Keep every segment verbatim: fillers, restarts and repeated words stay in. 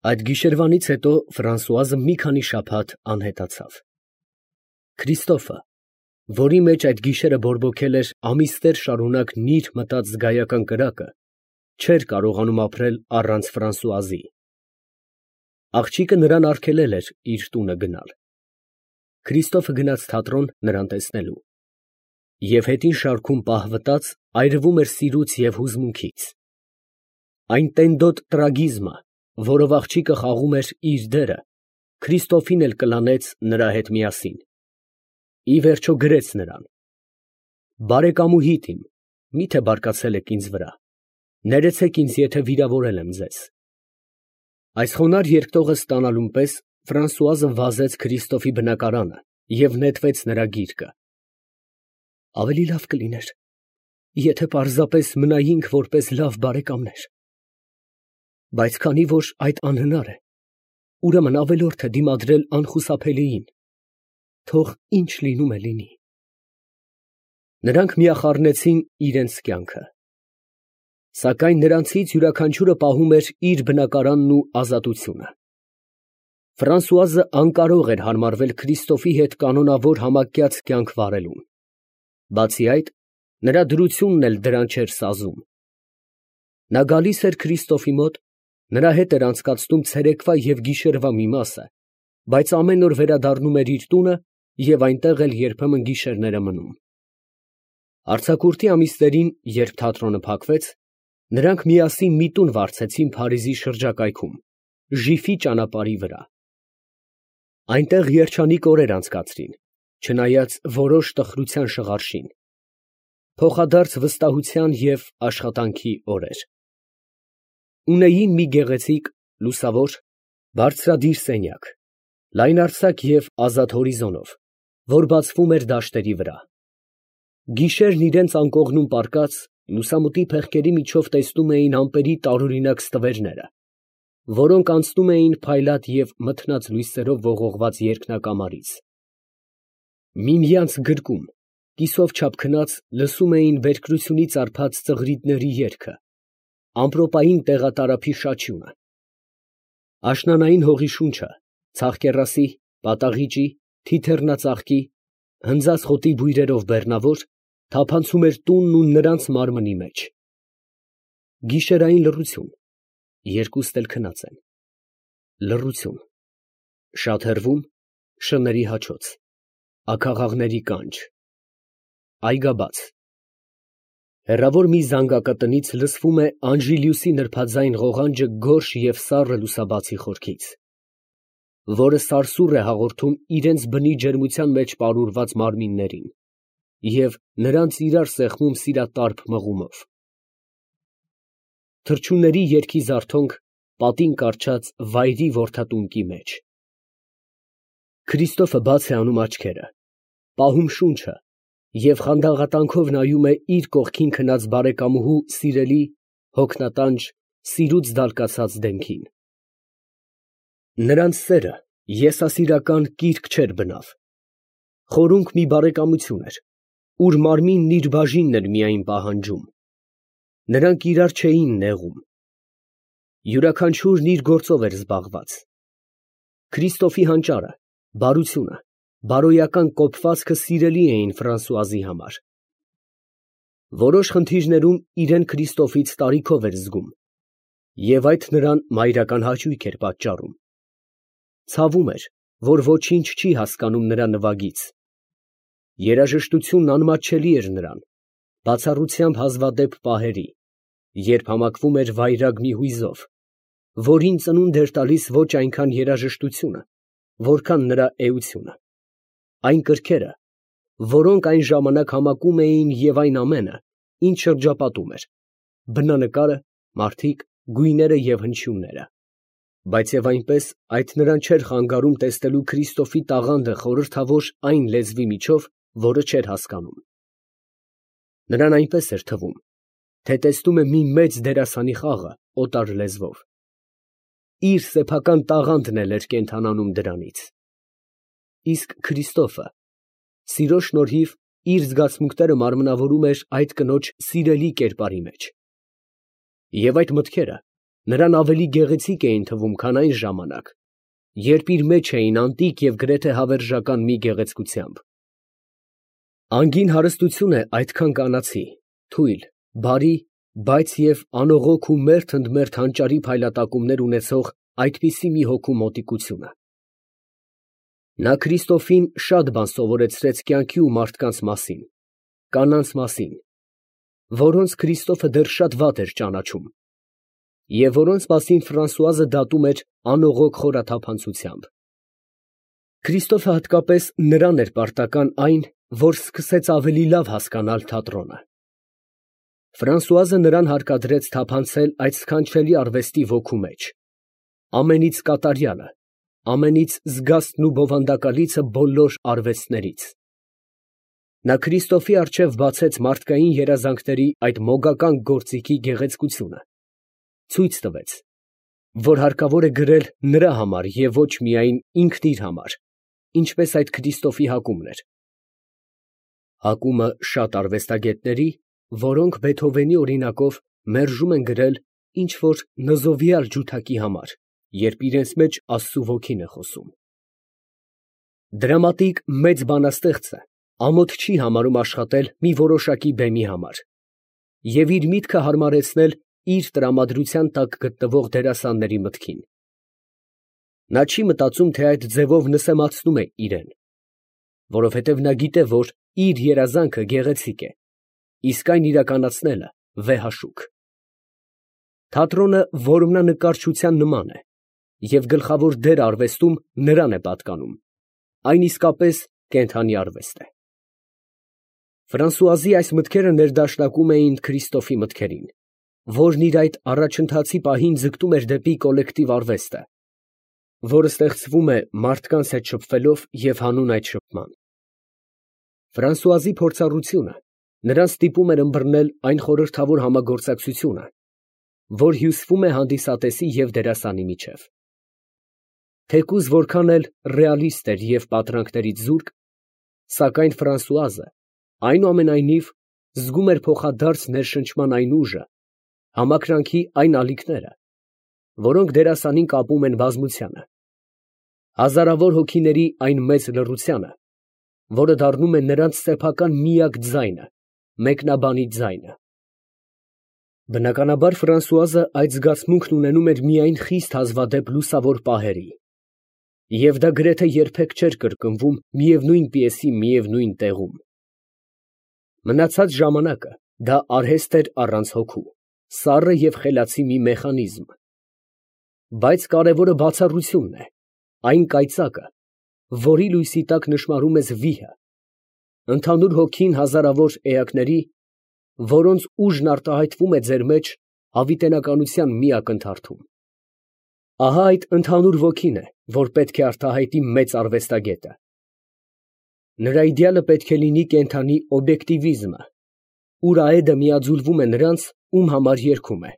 Այդ գիշերվանից հետո Ֆրանսուազը մի քանի շաբաթ անհետացավ։ Քրիստոֆը, որի մեջ այդ գիշերը բորբոքել էր ամիսներ շարունակ նիր մտած զգայական կրակը, չէր կարողանում ապրել առանց Ֆրանսուազի։ Աղջիկը նրան արգելել էր իր տունը գնալ։ Քրիստոֆը գնաց թատրոն նրան տեսնելու և հետին շարքում պահվտաց այրվում էր սիրուց և հուզմունքից։ Այն տենդոտ տրագիզմը, որով աղջիկը խաղում էր իր դերը, Քրիստոֆին էլ կլանեց նրա հետ միասին։ Ի վերջո գրեց նրան. «Բարեկամուհիդ իմ, մի՞թե բարկացել եք ինձ վրա, ներեցեք ինձ, եթե վիրավորել եմ ձեզ»։ Այս խոնարհ երկտողը ստանալուն պես Ֆրանսուազը վազեց Քրիստոֆի բնակարանը և նետվեց նրա գիրկը։ «Ավելի լավ կլիներ, եթե պարզապես մնայինք որպես լավ բարեկամներ, բայց քանի որ այդ անհնար է, ուրեմն ավելորդ է դիմադրել անխուսափելիին, թող ինչ լինում է լինի»։ Նրանք միախառնեցին իրենց կյանքը։ Սակայն նրանցից յուրաքանչյուրը պահում էր իր բնակարանն ու ազատությունը։ Ֆրանսուազը անկարող էր հարմարվել Քրիստոֆի հետ կանոնավոր համակյաց կյանք վարելուն։ Բացի այդ, նրա դրությունն էլ դրան չէր սազում։ Նա գալիս էր Քրիստոֆի մոտ, նրա հետ էր անցկացնում ցերեկվա և գիշերվա մի մասը, բայց ամեն օր վերադառնում էր իր տունը և այնտեղ էլ երբեմն գիշերները մնում։ Արձակուրդի ամիսներին, երբ թատրոնը փակվեց, նրանք միասին մի տուն վարձեցին Փարիզի շրջակայքում, Ժիֆի ճանապարհի վրա։ Այնտեղ երջանիկ օրեր անցկացրին, չնայած որոշ տխրության շղարշին, փոխադարձ վստահության և աշխատանքի օրեր։ Ունեին մի գեղեցիկ, լուսավոր, բարձրադիր սենյակ, լայնարձակ և ազատ հորիզոնով, որ բացվում էր դաշտերի վրա։ Գիշերն իրենց անկողնում պառկած, լուսամուտի փեղկերի միջով տեսնում էին ամպերի տարօրինակ ստվերները, որոնք անցնում էին փայլատ և մթնած լույսերով ողողված երկնակամարից։ Միմյանց գրկում, կիսով չափ քնած, լսում էին բերկրությունից արբած ծղրիդների երգը, ամպրոպային տեղատարափի շաչյունը։ Աշնանային հողի շունչը, ցաղկեռասի, պատաղիճի, թիթեռնածաղկի, հնձած խոտի բույրերով բեռնավոր, թափանցում էր տունն ու նրանց մարմնի մեջ։ Գիշերային լռություն, երկուստ էլ քնած են։ Լռություն, շատ հեռվում շների հաչոց, աքաղաղների կանչ, այգաբաց։ Հեռավոր մի զանգակատնից լսվում է Անժիլիուսի նրբաձայն ղողանջը գորշ և սառը լուսաբացի խորքից, որը սարսուռ է հաղորդում իրենց բնի ջերմության մեջ պարուրված մարմիններին և նրանց իրար սեղմում սիրատարփ մղումով։ Թռչունների երգի զարթոնք պատին կառչած վայրի որդատունկի մեջ։ Քրիստոֆը բաց է անում աչքերը, պահում շունչը և խանդաղատանքով նայում է իր կողքին քնած բարեկամուհու սիրելի, հոգնատանջ, սիրուց դալկացած դեմքին։ Նրանց սերը եսասիրական կիրք չէր բնավ, խորունկ մի բարեկամություն էր, ուր մարմինն իր բաժինն էր միայն պահանջում։ Նրանք իրար չէին նեղում։ Յուրաքանչյուրն իր գործով էր զբաղված։ Քրիստոֆի հանճարը, բարությունը, բարոյական կոփվածքը սիրելի էին Ֆրանսուազի համար։ Որոշ խնդիրներում իրեն Քրիստոֆից տարիքով էր զգում, և այդ նրան մայրական հաճույք էր պատճառում։ Ցավում էր, որ ոչինչ չի հասկանում նրա նվագից։ Երաժշտությունն անմատչելի էր նրան, բացառությամբ հազվադեպ պահերի, երբ համակվում էր վայրագ մի հույզով, որին ծնունդ էր տալիս ոչ այնքան երաժշտությունը, որքան նրա էությունը, այն կրքերը, որոնք այն ժամանակ համակում էին և այն ամենը, ինչ շրջապատում էր, բնանկարը, մարդիկ, գույները և հնչյունները։ Բայց և այնպես այդ նրան չէր խանգարում տեսնելու Քրիստոֆի տաղանդը խորհրդավոր այն լեզվի միջով, որը չէր հասկանում։ Նրան այնպես էր թվում, թե տեսնում է մի մեծ դերասանի խաղը օտար լեզվով։ Իր սեփական տաղանդն էլ էր կենդանանում դրանից։ Իսկ Քրիստոֆը սիրո շնորհիվ իր զգացմունքները մարմնավորում էր այդ կնոջ սիրելի կերպարի մեջ։ Եվ այդ մտքերը նրան ավելի գեղեցիկ էին թվում, քան այն ժամանակ, երբ իր մեջ էին անտիկ և գրեթե հավերժական մի գեղեցկությամբ։ Անգին հարստություն է այդքան կանացի, թույլ, բարի, բայց և անողոք ու մերթ ընդ մերթ հանճարի փայլատակումներ ունեցող այդպիսի մի հոգու մոտիկությունը։ Նա Քրիստոֆին շատ բան սովորեցրեց կյանքի ու մարդկանց մասին, կանանց մասին, որոնց Քրիստոֆը դեռ շատ վատ էր ճանաչում, և որոնց մասին Ֆրանսուազը դատում էր անողոք խորաթափանցությամբ։ Քրիստոֆը հատկապես նրան էր պարտական այն, որ սկսեց ավելի լավ հասկանալ թատրոնը։ Ֆրանսուազը նրան հարկադրեց թափանցել այդ սքանչելի արվեստի ոգու մեջ, ամենից կատարյալը, ամենից զգաստն ու բովանդակալիցը բոլոր արվեստներից։ Նա Քրիստոֆի առջև բացեց մարդկային երազանքների այդ մոգական գործիքի գեղեցկությունը, ցույց տվեց, որ հարկավոր է գրել նրա համար և ոչ միայն ինքն իր համար, ինչպես այդ Քրիստոֆի հակումն էր։ Հակումը շատ արվեստագետների, որոնք Բեթհովենի օրինակով մերժում են գրել ինչ֊որ նզովյալ ջութակի համար, երբ իրենց մեջ Աստծու ոգին է խոսում։ Դրամատիկ մեծ բանաստեղծը ամոթ չի համարում աշխատել մի որոշակի բեմի համար և իր միտքը հարմարեցնել իր տրամադրության տակ գտնվող դերասանների մտքին։ Նա չի մտածում, թե այդ ձևով նսեմացնում է իրան, որովհետև նա գիտե, որ իր երազանքը գեղեցիկ է, իսկ այն իրականացնելը վեհաշուք։ Թատրոնը որմնանկարչության նման է, և գլխավոր դերն արվեստում նրան է պատկանում, այն իսկապես կենդանի արվեստ է։ Ֆրանսուազի այս մտքերը ներդաշնակում էին Քրիստոֆի մտքերին, որն իր այդ առաջընթացի պահին ձգտում էր դեպի կոլեկտիվ արվեստը, որը ստեղծվում է մարդկանց հետ շփվելով և հանուն այդ շփման։ Ֆրանսուազի փորձառությունը նրան ստիպում էր ըմբռնել այն խորհրդավոր համագործակցությունը, որ հյուսվում է հանդիսատեսի և դերասանի միջև։ Թեկուզ որքան էլ ռեալիստ էր և պատրանքներից զուրկ, սակայն Ֆրանսուազը, այնուամենայնիվ, զգում էր փոխադարձ ներշնչման այն ուժը, համակրանքի այն ալիքները, որոնք դերասանին կապում են բազմությանը, հազարավոր հոգիների այն մեծ լռությանը, որը դառնում է նրանց սեփական միակ ձայնը, մեկնաբանի ձայնը։ Բնականաբար Ֆրանսուազը այդ զգացմունքն ունենում էր միայն խիստ հազվադեպ լուսավոր պահերի, և դա գրեթե երբեք չէր կրկնվում միևնույն պիեսի միևնույն տեղում։ Մնացած ժամանակը դա արհեստ էր առանց հոգու, սառը և խելացի մի մեխանիզմ։ Բայց կարևորը բացառությունն է, այն կայծակը, որի լույսի տակ նշմարում ես վիհը, ընդհանուր հոգին հազարավոր էակների, որոնց ուժն արտահայտվում է ձեր մեջ հավիտենականության մի ակնթարթում։ Ահա այդ ընդհանուր ոգին է, որ պետք է արտահայտի մեծ արվեստագետը։ Նրա իդեալը պետք է լինի կենդանի օբյեկտիվիզմը, ուր այդը միաձուլվում է նրանց, ում համար երգում է,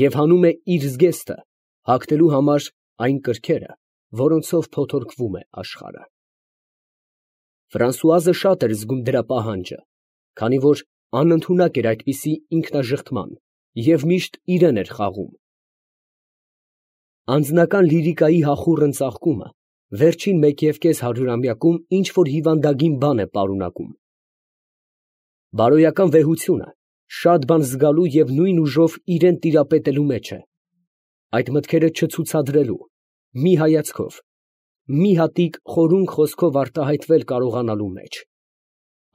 և հանում է իր զգեստը, հագնելու համար այն կրքերը, որոնցով փոթորկվում է աշխարհը։ Ֆրանսուազը շատ էր զգում դրա պահանջը, քանի որ անընդունակ էր այդպիսի ինքնաժխտման և միշտ իրեն էր խաղում։ Անձնական լիրիկայի հախուռն ծաղկումը վերջին մեկ և կես հարյուրամյակում ինչ֊որ հիվանդագին բան է պարունակում։ Բարոյական վեհությունը շատ բան զգալու և նույն ուժով իրան տիրապետելու մեջ է, այդ մտքերը չցուցադրելու, մի հայացքով, մի հատիկ խորունկ խոսքով արտահայտվել կարողանալու մեջ,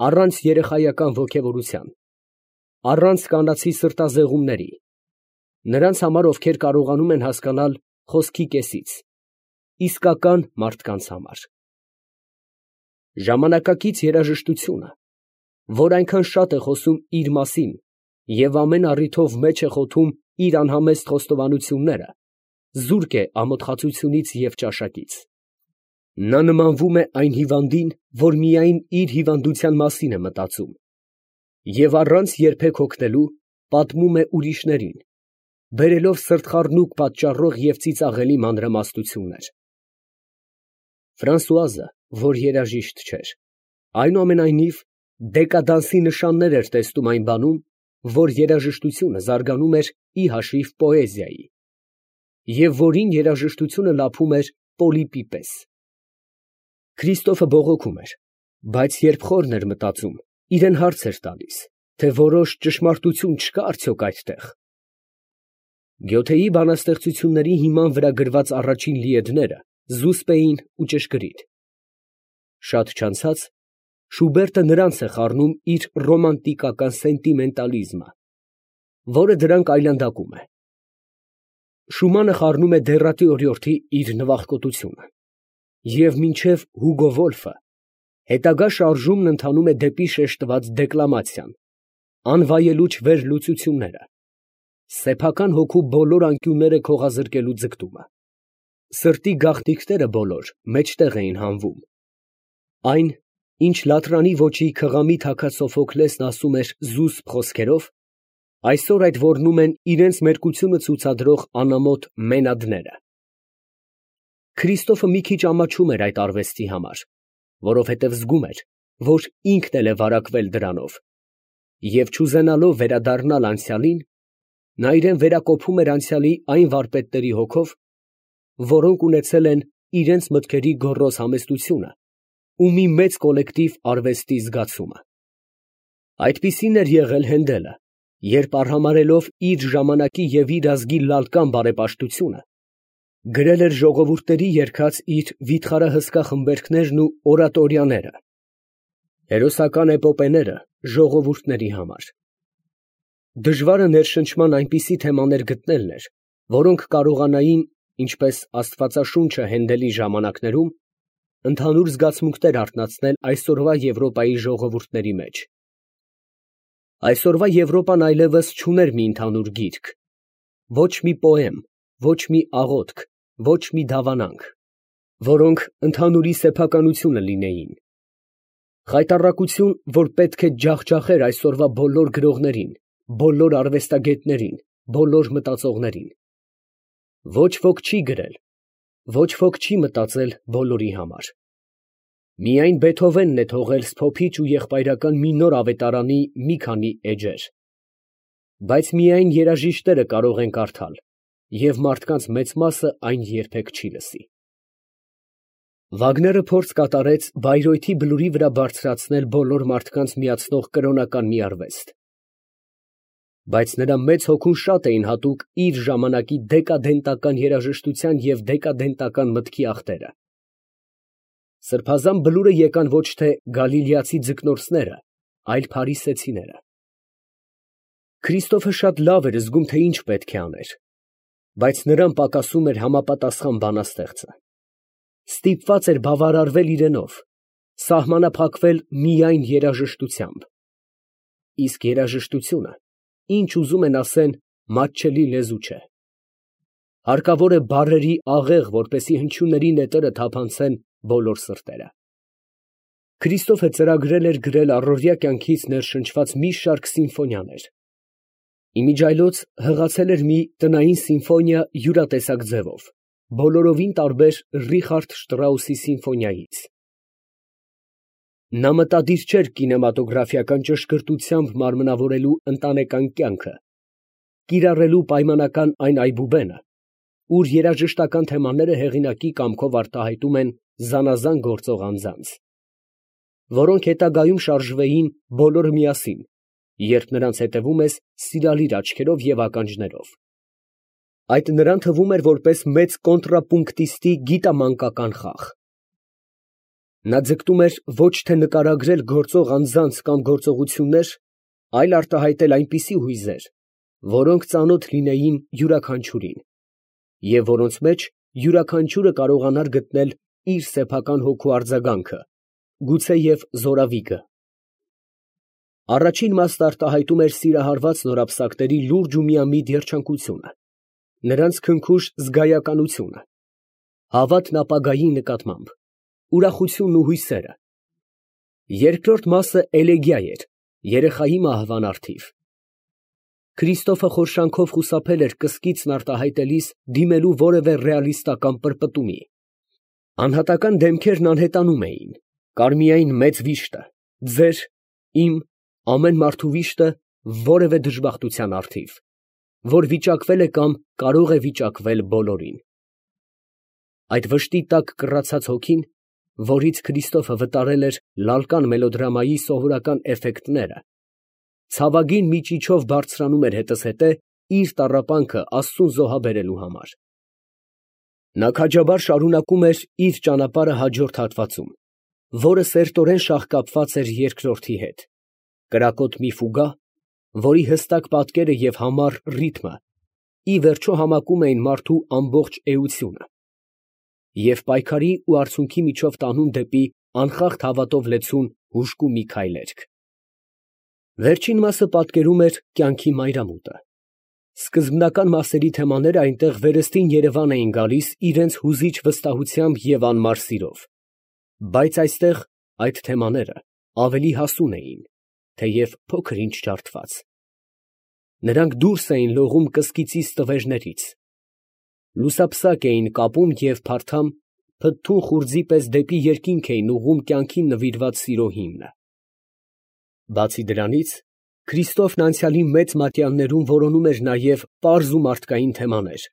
առանց երեխայական ոգևորության, առանց կանացի սրտազեղումների, նրանց համար, ովքեր կարողանում են հասկանալ խոսքի կեսից, իսկական մարդկանց համար։ Ժամանակակից երաժշտությունը, որ այնքան շատ է խոսում իր մասին և ամեն առիթով մեջ է խոթում իր անհամեստ խոստովանությունները, զուրկ է ամոթխածությունից և ճաշակից։ Նա նմանվում է այն հիվանդին, որ միայն իր հիվանդության մասին է մտածում և առանց երբեք հոգնելու պատմում է ուրիշներին, բերելով սրտխառնուկ պատճառող և ծիծաղելի մանրամասնություններ։ Ֆրանսուազը, որ երաժիշտ չէր, այնուամենայնիվ, դեկադանսի նշաններ էր տեսնում այն բանում, որ երաժշտությունը զարգանում էր ի հաշիվ պոեզիայի, և որին երաժշտությունը լափում էր պոլիպի պես։ Քրիստոֆը բողոքում էր, բայց երբ խորն էր մտածում, իրան հարց էր տալիս, թե որոշ ճշմարտություն չկա՞ արդյոք այդտեղ։ Գյոթեի բանաստեղծությունների հիման վրա գրված առաջին լիեդները զուսպ էին ու ճշգրիտ։ Շատ չանցած Շուբերտը նրանց է խառնում իր ռոմանտիկական սենտիմենտալիզմը, որը դրանք այլանդակում է։ Շումանը խառնում է դեռատի օրիորդի իր նվախկոտությունը, և մինչև Հուգո Վոլֆը հետագա շարժումն ընթանում է դեպի շեշտված դեկլամացիան, անվայելուչ վերլուծությունները, սեփական հոգու բոլոր անկյունները քողազրկելու ձգտումը։ Սրտի գաղտնիքները բոլոր մեջտեղ էին հանվում։ Այն, ինչ լաթրանի ոճի քղամի թագած Սոֆոքլեսն ասում էր զուսպ խոսքերով, այսօր այդ ոռնում են իրենց մերկությունը ցուցադրող անամոթ մենադները։ Քրիստոֆը մի քիչ ամաչում էր այդ արվեստի համար, որովհետև զգում էր, որ ինքն էլ է վարակվել դրանով, և չուզենալով վերադառնալ անցյալին, նա իրան վերակոփում էր անցյալի այն վարպետների հոգով, որոնք ունեցել են իրենց մտքերի գոռոզ համեստությունը ու մի մեծ կոլեկտիվ արվեստի զգացումը։ Այդպիսին էր եղել Հենդելը, երբ արհամարհելով իր ժամանակի և իր ազգի լալկան բարեպաշտությունը, գրել էր ժողովուրդների երգած իր վիթխարահսկա խմբերգներն ու օրատորիաները, հերոսական էպոպեները ժողովուրդների համար։ Դժվարը ներշնչման այնպիսի թեմաներ գտնելն էր, որոնք կարողանային, ինչպես Աստվածաշունչը Հենդելի ժամանակներում, ընդհանուր զգացմունքներ արթնացնել այսօրվա Եվրոպայի ժողովուրդների մեջ։ Այսօրվա Եվրոպան այլևս չուներ մի ընդհանուր գիրք, ոչ մի պոեմ, ոչ մի աղոթք, ոչ մի դավանանք, որոնք ընդհանուրի սեփականությունը լինեին։ Խայտառակություն, որ պետք է ջախջախեր այսօրվա բոլոր գրողներին, բոլոր արվեստագետներին, բոլոր մտածողներին։ Ոչ ոք չի գրել, ոչ ոք չի մտածել բոլորի համար։ Միայն Բեթհովենն է թողել սփոփիչ ու եղբայրական մի նոր ավետարանի մի քանի էջեր։ Բայց միայն երաժիշտները կարող են կարդալ, և մարդկանց մեծ մասը այն երբեք չի լսի։ Վագները փորձ կատարեց Բայրեութի բլուրի վրա բարձրացնել բոլոր մարդկանց միացնող կրոնական մի արվեստ։ Բայց նրա մեծ հոգուն շատ էին հատուկ իր ժամանակի դեկադենտական երաժշտության և դեկադենտական մտքի աղտերը։ Սրբազան բլուրը եկան ոչ թե գալիլեացի ձկնորսները, այլ փարիսեցիները։ Քրիստոֆը շատ լավ էր զգում, թե ինչ պետք է աներ, բայց նրան պակասում էր համապատասխան բանաստեղծը։ Ստիպված էր բավարարվել իրենով, սահմանափակվել միայն երաժշտությամբ։ Իսկ երաժշտությունը, ինչ ուզում են ասեն, մատչելի լեզու չէ։ Հարկավոր է բառերի աղեղ, որպեսզի հնչյունների նետերը թափանցեն բոլոր սրտերը։ Քրիստոֆը ծրագրել էր գրել առօրյա կյանքից ներշնչված մի շարք սիմֆոնիաներ։ Իմիջիայլոց հղացել էր մի տնային սիմֆոնիա յուրատեսակ ձևով, բոլորովին տարբեր Ռիխարդ Շտրաուսի սիմֆոնիայից։ Նա մտադիր չէր կինեմատոգրաֆիական ճշգրտությամբ մարմնավորելու ընտանեկան կյանքը, կիրառելու պայմանական այն այբուբենը, ուր երաժշտական թեմաները հեղինակի կամքով արտահայտում են զանազան գործող անձանց, որոնք հետագայում շարժվեին բոլորը միասին, երբ նրանց հետևում ես սիրալիր աչքերով և ականջներով։ Այդ նրան թվում էր որպես մեծ կոնտրապունկտիստի գիտամանկական խաղ։ Նա ձգտում էր ոչ թե նկարագրել գործող անձանց կամ գործողություններ, այլ արտահայտել այնպիսի հույզեր, որոնք ծանոթ լինեին յուրաքանչյուրին, և որոնց մեջ յուրաքանչյուրը կարողանար գտնել իր սեփական հոգու արձագանքը, գուցեև զորավիգը։ Առաջին մասն արտահայտում էր սիրահարված նորապսակների լուրջ ու միամիտ երջանկությունը, նրանց քնքուշ զգայականությունը, հավատն ապագայի նկատմամբ, ուրախությունն ու հույսերը։ Երկրորդ մասը էլեգիա էր, երեխայի մահվան առթիվ։ Քրիստոֆը խորշանքով խուսափել էր կսկիծն արտահայտելիս դիմելու որևէ ռեալիստական պրպտումի։ Անհատական դեմքերն անհետանում էին, կար միայն մեծ վիշտը, ձեր, իմ, ամեն մարդու վիշտը որևէ դժբախտության առթիվ։ որ վիճակվել է կամ կարող է վիճակվել բոլորին։ Այդ վշտի տակ կռացած հոգին, որից Քրիստոֆը վտարել էր լալկան մելոդրամայի սովորական էֆեկտները, ցավագին մի ճիչով բարձրանում էր հետզհետե իր տառապանքը Աստծուն զոհաբերելու համար։ Նա քաջաբար շարունակում էր իր ճանապարհը հաջորդ հատվածում, որը սերտորեն շաղկապված էր երկրորդի հետ, կրակոտ մի ֆուգա, որի հստակ պատկերը և համառ ռիթմը ի վերջո համակում էին մարդու ամբողջ էությունը և պայքարի ու արցունքի միջով տանում դեպի անխախտ հավատով լեցուն հուժկու մի քայլերգ։ Վերջին մասը պատկերում էր կյանքի մայրամուտը։ Սկզբնական մասերի թեմաները այնտեղ վերստին երևան էին գալիս իրենց հուզիչ վստահությամբ և անմար սիրով, բայց այստեղ այդ թեմաները ավելի հասուն էին, թեև փոքր֊ինչ ջարդված։ Նրանք դուրս էին լողում կսկիծի ստվերներից, լուսափսակ էին կապում և փարթամ, փթթուն խուրձի պես դեպի երկինք էին ուղղում կյանքին նվիրված սիրո հիմնը։ Բացի դրանից, Քրիստոֆն անցյալի մեծ մատյաններում որոնում էր նաև պարզ ու մարդկային թեմաներ,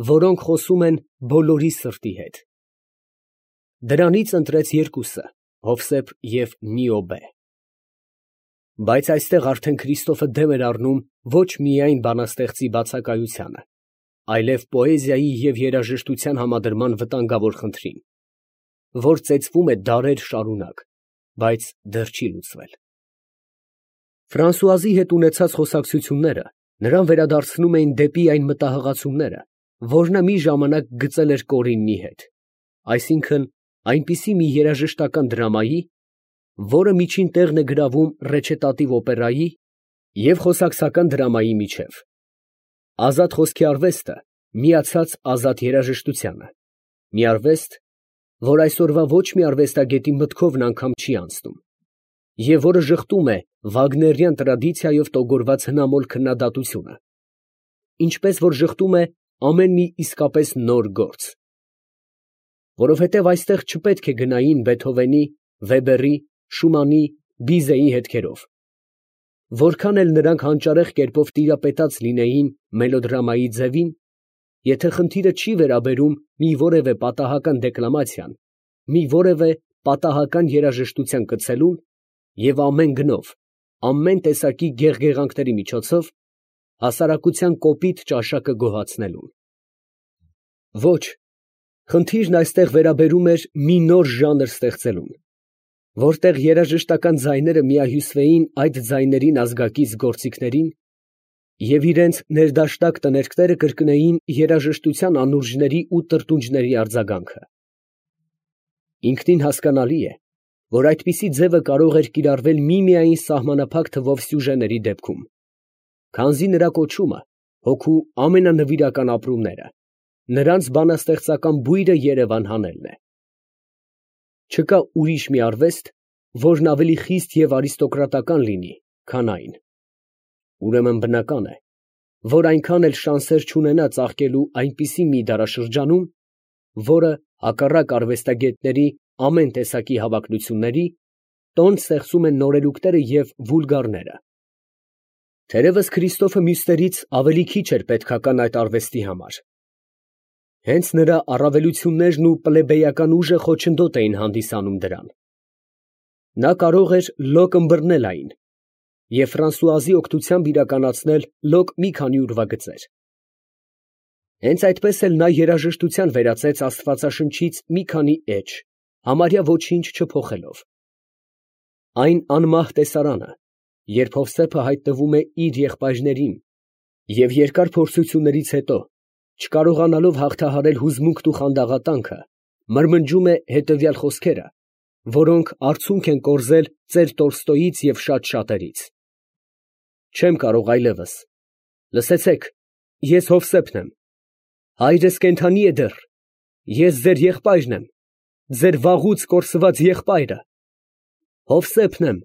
որոնք խոսում են բոլորի սրտի հետ։ Դրանից ընտրեց երկուսը՝ Հովսեփ և Նիոբե։ Բայց այստեղ արդեն Քրիստոֆը դեմ էր առնում ոչ միայն բանաստեղծի բացակայությանը, այլև պոեզիայի և երաժշտության համադրման վտանգավոր խնդրին, որ ծեծվում է դարեր շարունակ, բայց դեռ չի լուծվել։ Ֆրանսուազի հետ ունեցած խոսակցությունները նրան վերադարձնում էին դեպի այն մտահղացումները, որ նա մի ժամանակ գծել էր Կորիննի հետ, այսինքն այնպիսի մի երաժշտական դրամայի, որը միջին տեղն է գրավում ռեչետատիվ օպերայի և խոսակցական դրամայի միջև։ Ազատ խոսքի արվեստը միացած ազատ երաժշտությանը, մի արվեստ, որ այսօրվա ոչ մի արվեստագետի մտքովն անգամ չի անցնում, և որը ժխտում է վագներյան տրադիցիայով տոգորված հնամոլ քննադատությունը, ինչպես որ ժխտում է ամեն մի իսկապես նոր գործ։ Որովհետև այստեղ չպետք է գնային Բեթհովենի, Վեբերի, Շումանի, Բիզեի հետքերով, որքան էլ նրանք հանճարեղ կերպով տիրապետած լինեին մելոդրամայի ձևին, եթե խնդիրը չի վերաբերում մի որևէ պատահական դեկլամացիան, մի որևէ պատահական երաժշտության կցելուն և ամեն գնով, ամեն տեսակի գեղգեղանքների միջոցով հասարակության կոպիտ ճաշակը գոհացնելուն։ Ոչ, խնդիրն այստեղ վերաբերում էր մի նոր ժանր ստեղծելուն, որտեղ երաժշտական ձայները միահյուսվեին այդ ձայներին ազգակից գործիքներին և իրենց ներդաշնակ տներկները կրկնեին երաժշտության անուրջների ու տրտունջների արձագանքը։ Ինքնին հասկանալի է, որ այդպիսի ձևը կարող էր կիրառվել միմիայն սահմանափակ թվով սյուժեների դեպքում, քանզի նրա կոչումը հոգու ամենանվիրական ապրումները, նրանց բանաստեղծական բույրը երևան հանելն է։ Չկա ուրիշ մի արվեստ, որն ավելի խիստ և արիստոկրատական լինի, քան այն։ Ուրեմն բնական է, որ այնքան էլ շանսեր չունենա ծաղկելու այնպիսի մի դարաշրջանում, որը, հակառակ արվեստագետների ամեն տեսակի հավակնությունների, տոն ստեղծում են նորելուկները և վուլգարները։ Թերևս Քրիստոֆը մյուսներից ավելի քիչ էր պետքական այդ արվեստի համար։ Հենց նրա առավելություններն ու պլեբեյական ուժը խոչընդոտ էին հանդիսանում դրան։ Նա կարող էր լոկ ըմբռնել այն և Ֆրանսուազի օգնությամբ իրականացնել լոկ մի քանի ուրվագծեր։ Հենց այդպես էլ նա երաժշտության վերածեց աստվածաշնչից մի քանի էջ, համարյա ոչինչ չփոխելով։ Այն անմահ տեսարանը, երբ Հովսեփը հայտնվում է իր եղբայրներին և երկար փորձություններից հետո, չկարողանալով հաղթահարել հուզմունքն ու խանդաղատանքը, մրմնջում է հետևյալ խոսքերը, որոնք արցունք են կորզել ծեր Տոլստոյից և շատ շատերից. «Չեմ կարող այլևս, լսեցեք, ես Հովսեփն եմ, հայրս կենդանի է դեռ, ես ձեր եղբայրն եմ, ձեր վաղուց կորսված եղբայրը, Հովսեփն եմ,